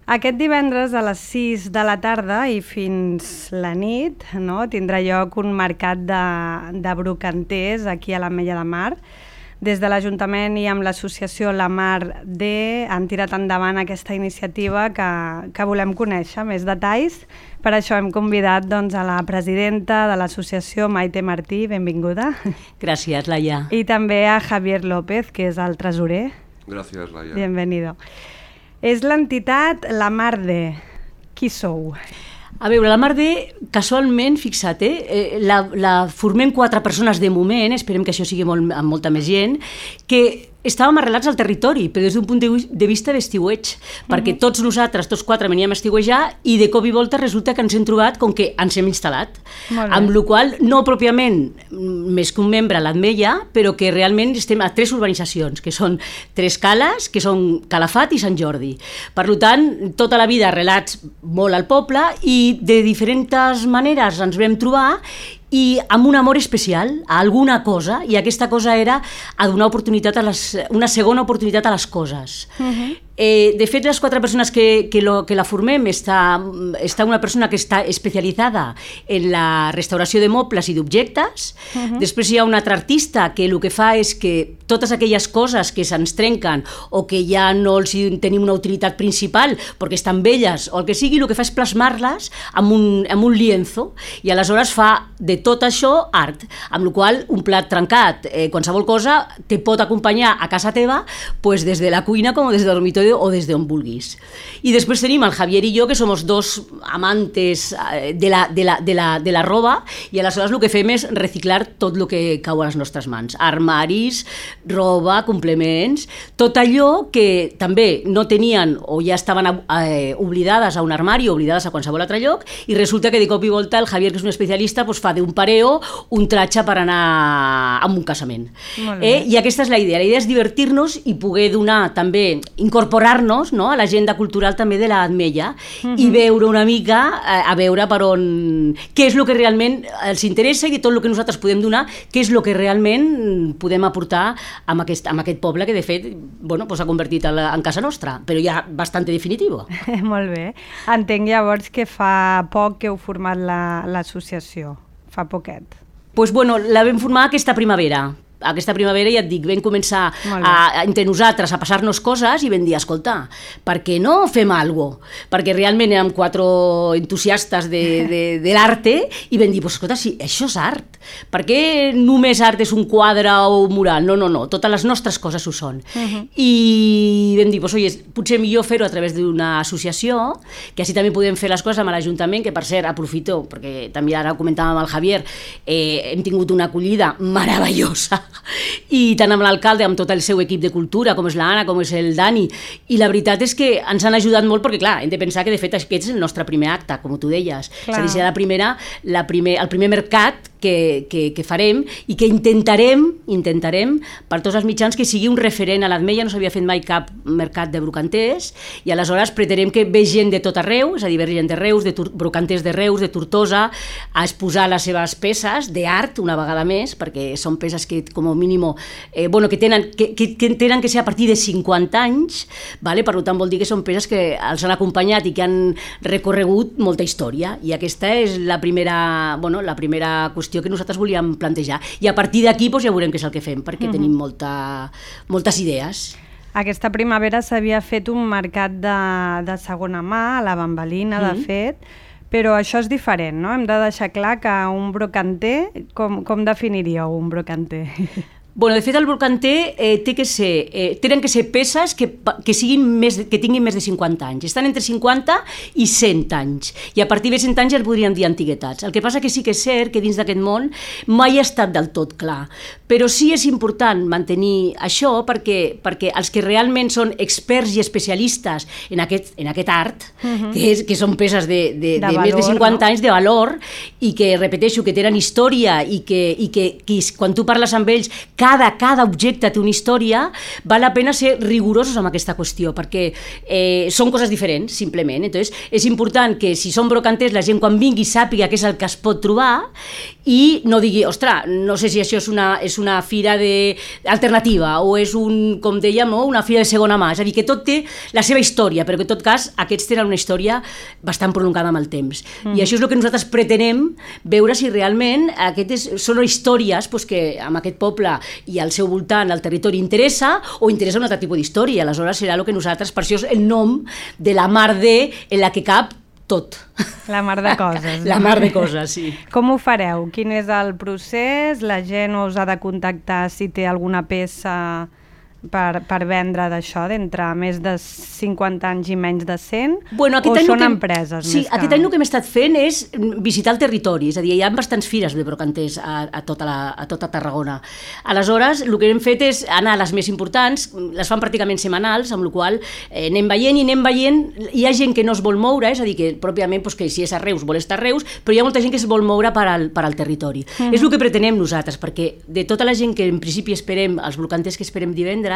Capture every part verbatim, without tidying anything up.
Aquest divendres a les sis de la tarda i fins la nit, no, tindrà lloc un mercat de, de brocanters aquí a l'Ametlla de Mar. Des de l'Ajuntament i amb l'associació La Mar D han tirat endavant aquesta iniciativa que, que volem conèixer més detalls. Per això hem convidat doncs, a la presidenta de l'associació, Maite Martí, benvinguda. Gràcies, Laia. I també a Javier López, que és el tresorer. Gràcies, Laia. Bienvenido. És l'entitat La Mar D. Qui sou? A veure, la Mar D, casualment, fixa't, eh, la, la formem quatre persones de moment, esperem que això sigui molt, amb molta més gent, que estàvem arrelats al territori, però des d'un punt de vista d'estiueig, perquè uh-huh. tots nosaltres, tots quatre, veníem a estiuejar i de cop i volta resulta que ens hem trobat com que ens hem instal·lat. Amb la qual cosa, no pròpiament més que un membre a l'Ametlla, però que realment estem a tres urbanitzacions, que són Tres Cales, que són Calafat i Sant Jordi. Per tant, tota la vida arrelats molt al poble i de diferents maneres ens vam trobar i amb un amor especial a alguna cosa, i aquesta cosa era a donar oportunitat a les, una segona oportunitat a les coses. Uh-huh. Eh, de fet, les quatre persones que, que, lo, que la formem, està, està una persona que està especialitzada en la restauració de mobles i d'objectes, uh-huh. després hi ha un altre artista que el que fa és que totes aquelles coses que se'ns trenquen o que ja no els tenim una utilitat principal perquè estan velles o el que sigui, el que fa és plasmar-les amb un, amb un lienzo, i aleshores fa de tot això art, amb la qual un plat trencat, eh, qualsevol cosa, te pot acompanyar a casa teva pues, des de la cuina com des del dormitori o des d'on vulguis. I després tenim el Javier i jo, que som dos amantes de la, de la, de la, de la roba, i aleshores el que fem és reciclar tot el que cau a les nostres mans. Armaris, roba, complements, tot allò que també no tenien o ja estaven eh, oblidades a un armari o oblidades a qualsevol altre lloc, i resulta que de cop i volta el Javier, que és un especialista, pues, fa d'un pareo un tratge per anar a un casament. Eh? I aquesta és la idea. La idea és divertir-nos i poder donar també, incorporar-nos, no, a l'agenda cultural també de l'Ametlla, uh-huh. i veure una mica, a, a veure per on, què és el que realment els interessa i de tot el que nosaltres podem donar, què és el que realment podem aportar amb aquest, amb aquest poble que de fet bueno, pues, s'ha convertit en, en casa nostra, però ja bastant definitiu. Molt bé. Entenc llavors que fa poc que heu format l'associació, la, fa poquet. Pues bueno, la vam formar aquesta primavera. Aquesta primavera, ja et dic, vam començar a, entre nosaltres a passar-nos coses i vam dir, escolta, per què no fem alguna cosa? Perquè realment érem quatre entusiastes de, de, de l'arte i vam dir, pues, escolta, si això és art, per què només art és un quadre o un mural? No, no, no, totes les nostres coses ho són. Uh-huh. I vam dir, pues, oye, potser millor fer-ho a través d'una associació, que així també podem fer les coses amb l'Ajuntament, que per cert, aprofito, perquè també ara ho comentàvem amb el Javier, eh, hem tingut una acollida meravellosa, i tant amb l'alcalde, amb tot el seu equip de cultura, com és l'Anna, com és el Dani, i la veritat és que ens han ajudat molt perquè, clar, hem de pensar que de fet aquest és el nostre primer acte, com tu deies. Clar. És a dir, serà la primera, la primer, el primer mercat que, que, que farem i que intentarem, intentarem per tots els mitjans que sigui un referent a l'Ametlla. No s'havia fet mai cap mercat de brocanters i aleshores pretenem que ve gent de tot arreu, és a dir, ve gent de Reus, de brocanters de Reus, de Tortosa, a exposar les seves peces d'art una vegada més, perquè són peces que com a mínim eh, bueno, que, tenen, que, que, que tenen que ser a partir de cinquanta anys, vale? Per tant vol dir que són peces que els han acompanyat i que han recorregut molta història, i aquesta és la primera, bueno, la primera qüestió que nosaltres volíem plantejar, i a partir d'aquí doncs, ja veurem què és el que fem, perquè uh-huh. tenim molta, moltes idees. Aquesta primavera s'havia fet un mercat de, de segona mà, a la Bambalina, uh-huh. de fet, però això és diferent, no? Hem de deixar clar que un brocanter, com, com definiríeu un brocanter? Bueno, de fet, el brocanter eh, té que ser, eh, tenen que ser peces que, que, siguin més, que tinguin més de cinquanta anys. Estan entre cinquanta i cent anys. I a partir de cent anys ja el podríem dir antiguitats. El que passa que sí que és cert que dins d'aquest món mai ha estat del tot clar. Però sí és important mantenir això perquè, perquè els que realment són experts i especialistes en aquest, en aquest art, uh-huh. que, és, que són peces de, de, de, de valor, més de cinquanta no? anys de valor, i que, repeteixo, que tenen història i que, i que, que quan tu parles amb ells, Cada, cada objecte té una història, val la pena ser rigorosos amb aquesta qüestió, perquè eh, són coses diferents, simplement. Entonces, és important que si són brocanters, la gent quan vingui sàpiga què és el que es pot trobar i no digui, ostres, no sé si això és una, és és una fira de... alternativa, o és, un, com dèiem, no? una fira de segona mà. És a dir, que tot té la seva història, però que en tot cas aquests tenen una història bastant prolongada amb el temps. Mm. I això és el que nosaltres pretenem veure si realment aquestes són històries pues, que amb aquest poble i al seu voltant, al territori, interessa o interessa un altre tipus d'història. Aleshores serà el que nosaltres, per això és el nom de la mar de en la que cap tot. La mar de coses. La mar de coses, sí. Com ho fareu? Quin és el procés? La gent us ha de contactar si té alguna peça per, per vendre d'això, d'entre més de cinquanta anys i menys de cent? Bueno, o són que, empreses? Sí, més aquest que... any el que hem estat fent és visitar el territori, és a dir, hi ha bastants fires de brocanters a, a, tota, la, a tota Tarragona. Aleshores, el que hem fet és anar a les més importants, les fan pràcticament setmanals, amb la qual eh, anem veient i anem veient, hi ha gent que no es vol moure, és a dir, que pròpiament pues, que si és a Reus vol estar a Reus, però hi ha molta gent que es vol moure per al, per al territori. Mm. És el que pretenem nosaltres, perquè de tota la gent que en principi esperem, els brocanters que esperem divendres,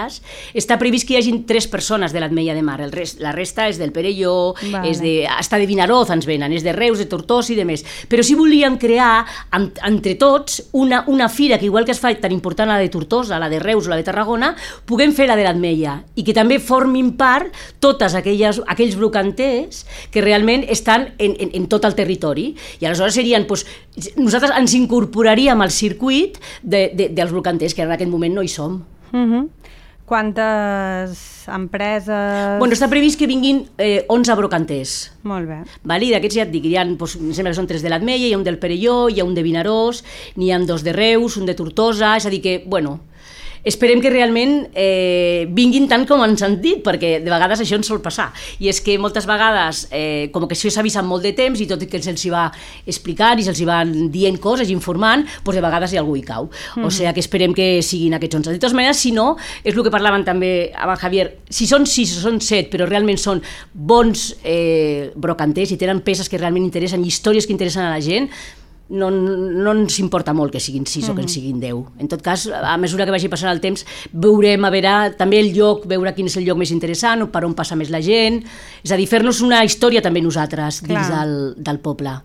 està previst que hi hagin tres persones de l'Ametlla de Mar, el rest, la resta és del Perelló, vale. és de, està de Vinaroz ens venen, és de Reus, de Tortosa i de més. Però sí volíem crear amb, entre tots una, una fira que igual que es fa tan important la de Tortosa, la de Reus o la de Tarragona, puguem fer la de l'Ametlla i que també formin part totes aquelles, aquells brocanters que realment estan en, en, en tot el territori. I aleshores serien, doncs, nosaltres ens incorporaríem al circuit de, de, dels brocanters, que en aquest moment no hi som. Uh-huh. Quantes empreses... Bueno, està previst que vinguin eh, onze brocanters. Molt bé. Vale? I d'aquests ja et dic, hi ha, doncs, em sembla que són tres de l'Ametlla, hi ha un del Perelló, hi ha un de Vinaròs, n'hi ha dos de Reus, un de Tortosa, és a dir que, bueno... Esperem que realment eh, vinguin tant com ens han dit, perquè de vegades això ens sol passar. I és que moltes vegades, eh, com que això s'avisa amb molt de temps, i tot i que se'ls va explicant i se'ls va dient coses, informant, doncs de vegades hi ha algú hi cau. Mm-hmm. O sigui que esperem que siguin aquests onze. De totes maneres, si no, és el que parlaven també amb el Javier, si són sis o són set, però realment són bons eh, brocanters i tenen peces que realment interessen i històries que interessen a la gent, no, no ens importa molt que siguin sis mm-hmm. o que en siguin deu. En tot cas, a mesura que vagi passant el temps, veurem a veure també el lloc, veure quin és el lloc més interessant, per on passa més la gent, és a dir, fer-nos una història també nosaltres dins del, del poble.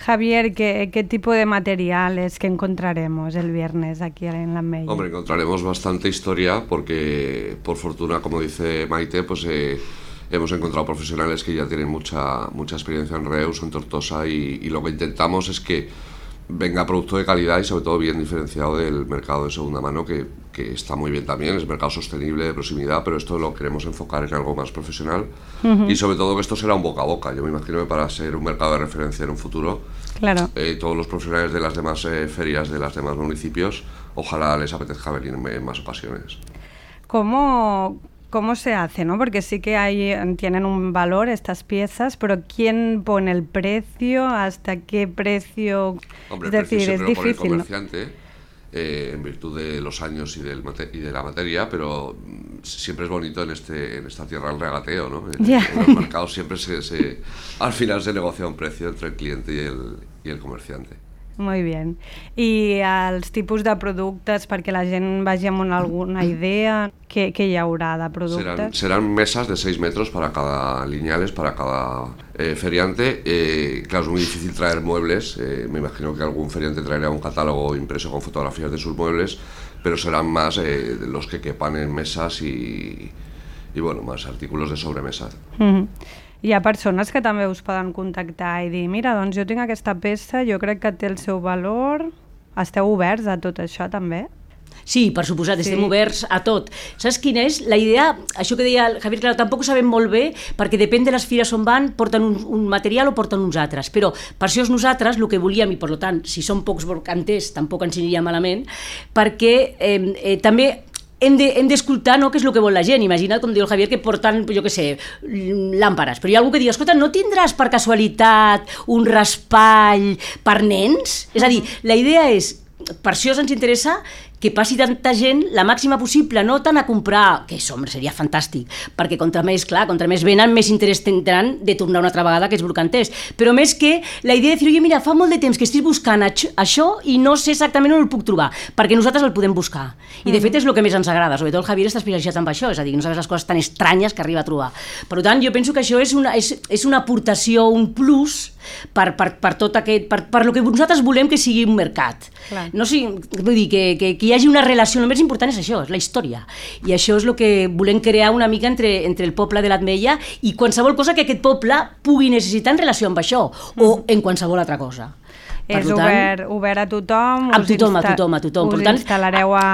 Javier, ¿qué, ¿qué tipo de materiales que encontraremos el viernes aquí en la Ametlla? Hombre, encontraremos bastante historia porque, por fortuna, como dice Maite, pues eh, hemos encontrado profesionales que ya tienen mucha, mucha experiencia en Reus, en Tortosa, y, y lo que intentamos es que venga producto de calidad y sobre todo bien diferenciado del mercado de segunda mano, que, que está muy bien también, es mercado sostenible, de proximidad, pero esto lo queremos enfocar en algo más profesional. Uh-huh. Y sobre todo que esto será un boca a boca. Yo me imagino que para ser un mercado de referencia en un futuro, claro. eh, todos los profesionales de las demás eh, ferias de los demás municipios, ojalá les apetezca venir en, en más ocasiones. ¿Cómo...? ¿Cómo se hace, no? Porque sí que hay, tienen un valor estas piezas, pero ¿quién pone el precio? ¿Hasta qué precio? Hombre, es el decir, precio es siempre difícil, lo pone el comerciante, ¿no? eh, en virtud de los años y, del mate y de la materia, pero siempre es bonito en este en esta tierra el regateo, ¿no? En, yeah. en los mercados siempre se, se al final se negocia un precio entre el cliente y el, y el comerciante. Muy bien. I els tipus de productes, perquè la gent vagi amb una, alguna idea, què, què hi haurà de productes? Serán, serán mesas de seis metros para cada lineales, para cada eh, feriante. Eh, claro, es muy difícil traer muebles. Eh, me imagino que algún feriante traerá un catálogo impreso con fotografías de sus muebles, pero serán más eh, los que quepan en mesas y, y bueno, más artículos de sobremesa. Mm-hmm. Hi ha persones que també us poden contactar i dir, mira, doncs jo tinc aquesta peça, jo crec que té el seu valor. Esteu oberts a tot això també? Sí, per suposat, estem sí. oberts a tot. Saps quina és? La idea, això que deia el Javier, clar, tampoc ho sabem molt bé, perquè depèn de les fires on van, porten un, un material o porten uns altres, però per això és nosaltres el que volíem, i per tant, si són pocs brocanters, tampoc ens aniria malament, perquè eh, eh, també hem d'escoltar, no, què és el que vol la gent. Imagina't, com diu el Javier, que porten, jo què sé, làmperes, però hi ha algú que diu, escolta, no tindràs per casualitat un raspall per nens? És a dir, la idea és, per això ens interessa que passi tanta gent, la màxima possible, no tant a comprar, que això, home, seria fantàstic, perquè contra més, clar, contra més venen, més interès tindran de tornar una altra vegada aquests brocanters. Però més que la idea de dir, oye, mira, fa molt de temps que estic buscant això i no sé exactament on el puc trobar, perquè nosaltres el podem buscar. I de fet és el que més ens agrada, sobretot el Javier està especialitzat en això, és a dir, no sabes les coses tan estranyes que arriba a trobar. Per tant, jo penso que això és una, és, és una aportació, un plus per, per, per tot aquest, per, per lo que nosaltres volem que sigui un mercat. Clar. No sigui, vull dir, que, que, que hi hagi una relació, el més important és això, és la història. I això és el que volem crear una mica entre, entre el poble de l'Ametlla i qualsevol cosa que aquest poble pugui necessitar en relació amb això, o en qualsevol altra cosa. Per és tant, obert, obert a tothom, a tothom, a tothom, a tothom. Us tant, instal·lareu a,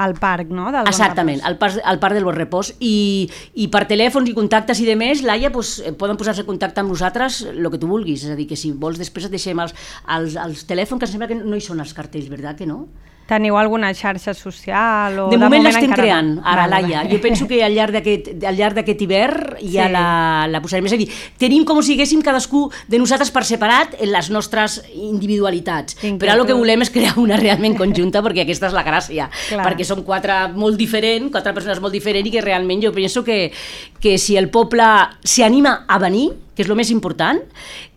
al parc, no? Del exactament, al parc, al parc del Bon Repòs. I, i per telèfons i contactes i demés, Laia, pues, poden posar-se en contacte amb nosaltres el que tu vulguis. És a dir, que si vols després et deixem els, els, els telèfons, que em sembla que no hi són els cartells, verdad que no? Teniu alguna xarxa social? O de, de moment, moment l'estem encara... creant, ara, vale, Laia. vale. Jo penso que al llarg d'aquest hivern ja sí. la, la posarem. És a dir, tenim com si haguéssim cadascú de nosaltres per separat en les nostres individualitats. Inquietud. Però el que volem és crear una realment conjunta, perquè aquesta és la gràcia. Clar. Perquè som quatre molt diferents, quatre persones molt diferents, i que realment jo penso que, que si el poble s'anima a venir, que és el més important,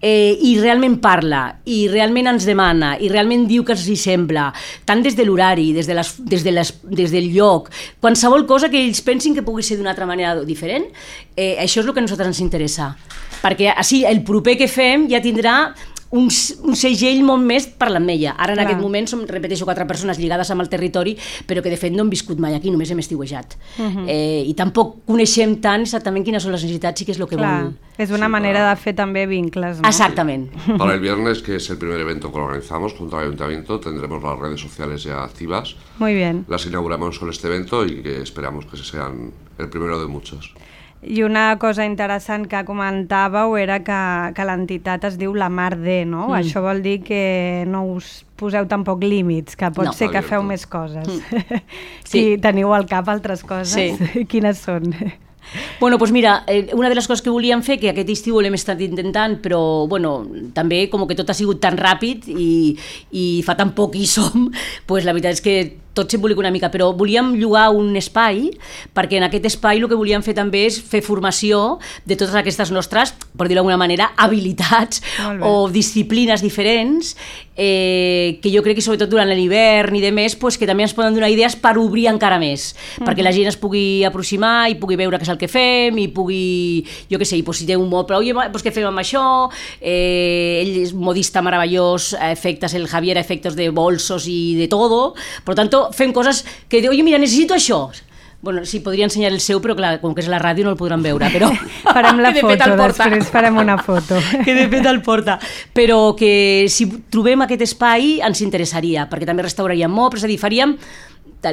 eh, i realment parla, i realment ens demana, i realment diu que els hi sembla, tant des de l'horari, des, de les, des, de les, des del lloc, qualsevol cosa que ells pensin que pugui ser d'una altra manera diferent, eh, això és el que a nosaltres ens interessa. Perquè així el proper que fem ja tindrà un, un segell molt més per l'Ametlla. Ara en Clar. Aquest moment som, repeteixo, quatre persones lligades amb el territori, però que de fet no hem viscut mai aquí, només hem estiuejat. Uh-huh. eh, I tampoc coneixem tant exactament quines són les necessitats i què és el que Clar. vol. Es una sí, manera para... de fer també vincles, ¿no? Exactament. Sí. Para el viernes, que es el primer evento que organizamos junto al Ayuntamiento, tendremos las redes sociales ya activas. Muy bien. Las inauguramos con este evento y que esperamos que sean el primero de muchos. I una cosa interessant que comentàveu era que, que l'entitat es diu La Mar de, no? Mm. Això vol dir que no us poseu tampoc límits, que pot no. ser que feu més coses. Mm. Si sí. teniu al cap altres coses, sí. quines són? Bueno, doncs mira, eh, una de les coses que volíem fer, que aquest estiu l'hem estat intentant, però bueno, també com que tot ha sigut tan ràpid i, i fa tan poc hi som, doncs la veritat és que tot s'embolica una mica, però volíem llogar un espai, perquè en aquest espai el que volíem fer també és fer formació de totes aquestes nostres, per dir-ho d'alguna manera, habilitats o disciplines diferents, eh, que jo crec que sobretot durant l'hivern i de més, pues, que també ens poden donar idees per obrir encara més, mm-hmm. perquè la gent es pugui aproximar i pugui veure què és el que fem, i pugui, jo què sé, pues, si té un moble, oi, pues, què fem amb això? Eh, ell és un modista meravellós, a efectes, el Javier a efectos de bolsos i de todo, per tant, fem coses que diu, oye, mira, necessito això. Bueno, sí, podria ensenyar el seu, però clar, com que és la ràdio no el podran veure, però... Farem la foto, després farem una foto. Que de fet el porta. Però que si trobem aquest espai ens interessaria, perquè també restauraríem mobles, és a dir, faríem...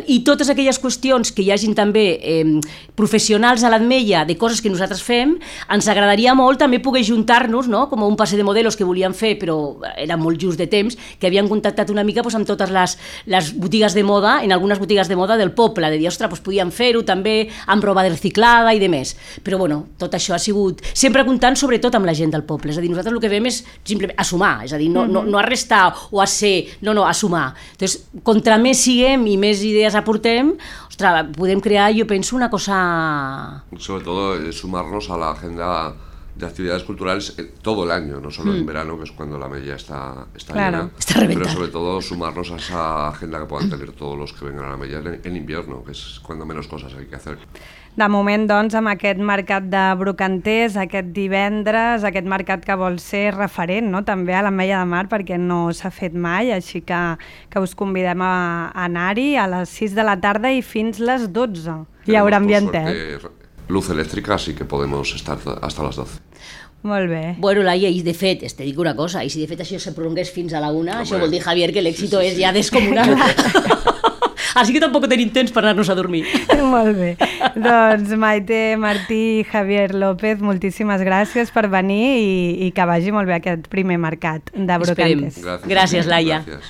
I totes aquelles qüestions que hi hagin també eh, professionals a l'Ametlla de coses que nosaltres fem, ens agradaria molt també poder juntar-nos, no? Com un passe de modelos que volíem fer, però era molt just de temps, que havien contactat una mica pues, amb totes les, les botigues de moda, en algunes botigues de moda del poble, de dir, ostres, pues, podíem fer-ho també amb roba reciclada i de més. Però bueno, tot això ha sigut sempre comptant sobretot amb la gent del poble, és a dir, nosaltres el que fem és simplement assumar, és a dir, no, no, no arrestar o a ser, no, no, assumar. Entonces, contra més siguem i més idees aportem, ostres, podem crear, yo pienso, una cosa... Sobre todo, eh, sumarnos a la agenda de actividades culturales eh, todo el año, no solo mm. en verano, que es cuando la Ametlla está, está claro, llena, está pero sobre todo sumarnos a esa agenda que puedan tener todos los que vengan a la Ametlla en, en invierno, que es cuando menos cosas hay que hacer. De moment, doncs, amb aquest mercat de brocanters, aquest divendres, aquest mercat que vol ser referent, no?, també a l'Ametlla de Mar, perquè no s'ha fet mai, així que, que us convidem a, a anar-hi a les sis de la tarda i fins les dotze. Hi haurà ambientet. Luz elèctrica, así que podemos estar hasta las doce. Molt bé. Bueno, Laia, i de fet, te dic una cosa, i si de fet això se prolongués fins a la una, no, això vol dir, Javier, que l'èxito sí, sí, és sí. ja descomunal. Així que tampoc tenim temps per anar-nos a dormir. Molt bé. Doncs Maite, Martí i Javier López, moltíssimes gràcies per venir i, i que vagi molt bé aquest primer mercat de brocanters. Gràcies, Gràcies, Laia. Gràcies.